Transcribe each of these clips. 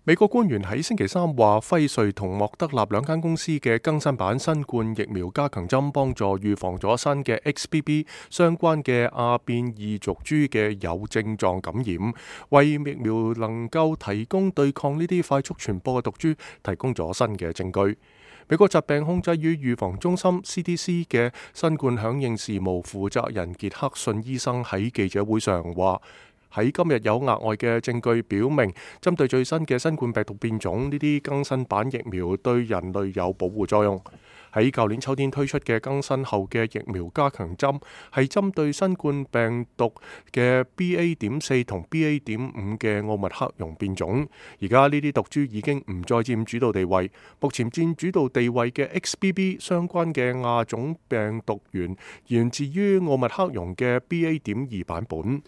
美國官員喺星期三話，輝瑞同莫德納兩間公司嘅更新版新冠疫苗加強針幫助預防咗新嘅 XBB 相關嘅亞變異族株嘅有症狀感染，為疫苗能夠提供對抗呢啲快速傳播嘅毒株提供咗新嘅證據。美國疾病控制與預防中心 CDC 嘅新冠響應事務負責人傑克遜醫生喺記者會上話，喺今日有額外嘅證據表明，針對最新嘅新冠病毒變種，呢啲更新版疫苗對人類有保護作用。喺舊年秋天推出嘅更新後嘅疫苗加強針，係針對新冠病毒嘅 BA.4 同 BA.5 嘅奧密克戎變種。而家呢啲毒株已經唔再佔主導地位，目前佔主導地位嘅 XBB 相關嘅亞種病毒源源自於奧密克戎嘅 BA.2 版本。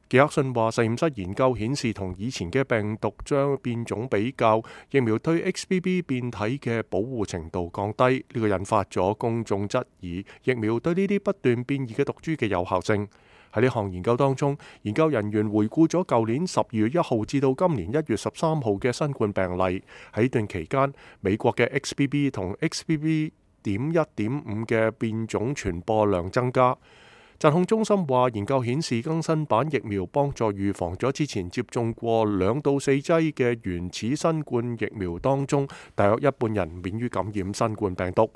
傑克遜話，實驗室研究顯示，同以前嘅病毒將變種比較，疫苗對 XBB 變體嘅保護程度降低，呢個引發咗公眾質疑疫苗對呢啲不斷變異嘅毒株嘅有效性。喺呢項研究當中，研究人員回顧咗舊年12月1號至到今年1月13號嘅新冠病例，喺呢段期間，美國嘅 XBB 同 XBB.1.5 嘅變種傳播量增加。疾控中心話，研究顯示更新版疫苗幫助預防咗之前接種過2到4劑嘅原始新冠疫苗當中，大約一半人免於感染新冠病毒。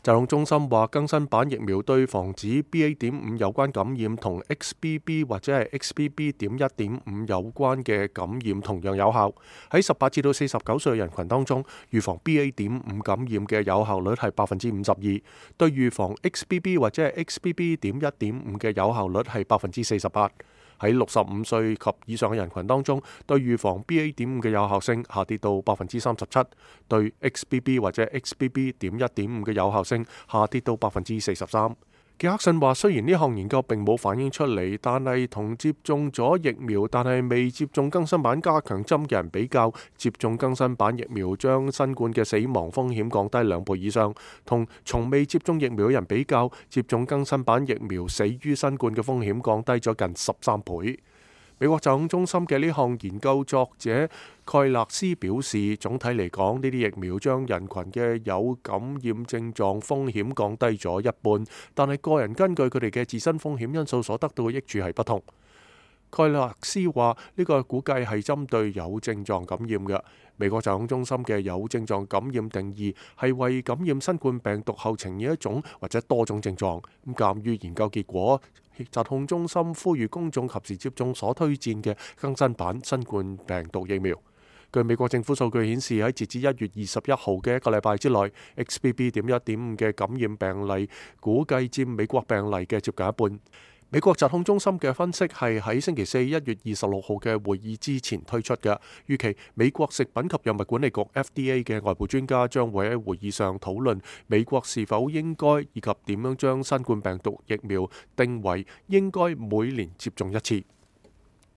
疾控中心話，更新版疫苗對防止 BA.5 有關感染同 XBB 或者係 XBB.1.5 有關嘅感染同樣有效。喺18至到49歲人群當中，預防 BA.5 感染嘅有效率係52%，對預防 XBB 或者係 XBB.1.5 嘅有效率係48%。喺65歲及以上嘅人群當中，對預防 BA.5 嘅有效性下跌到37%，對 XBB 或者 XBB.1.5 嘅有效性下跌到43%。傑克遜話，雖然呢項研究並冇反映出嚟，但係同接種咗疫苗但係未接種更新版加強針嘅人比較，接種更新版疫苗將新冠嘅死亡風險降低2倍以上；同從未接種疫苗嘅人比較，接種更新版疫苗死於新冠嘅風險降低咗近13倍。美國疾控中心嘅呢項研究作者蓋勒斯表示，總體嚟講，呢啲疫苗將人群嘅有感染症狀風險降低咗一半，但係個人根據佢哋嘅自身風險因素所得到嘅益處係不同。蓋勒斯話，呢個估計係針對有症狀感染嘅。美國疾控中心嘅有症狀感染定義係為感染新冠病毒後呈現一種或者多種症狀。咁鑑於研究結果，疾控中心呼籲公眾及時接種所推薦嘅更新版新冠病毒疫苗。據美國政府數據顯示，喺截至1月21號嘅一個禮拜之內，XBB.1.5 嘅感染病例估計佔美國病例嘅接近一半。美國疾控中心嘅分析係喺星期四1月26號嘅會議之前推出嘅，預期美國食品及藥物管理局 FDA 嘅外部專家將會喺會議上討論美國是否應該以及點樣將新冠病毒疫苗定為應該每年接種一次。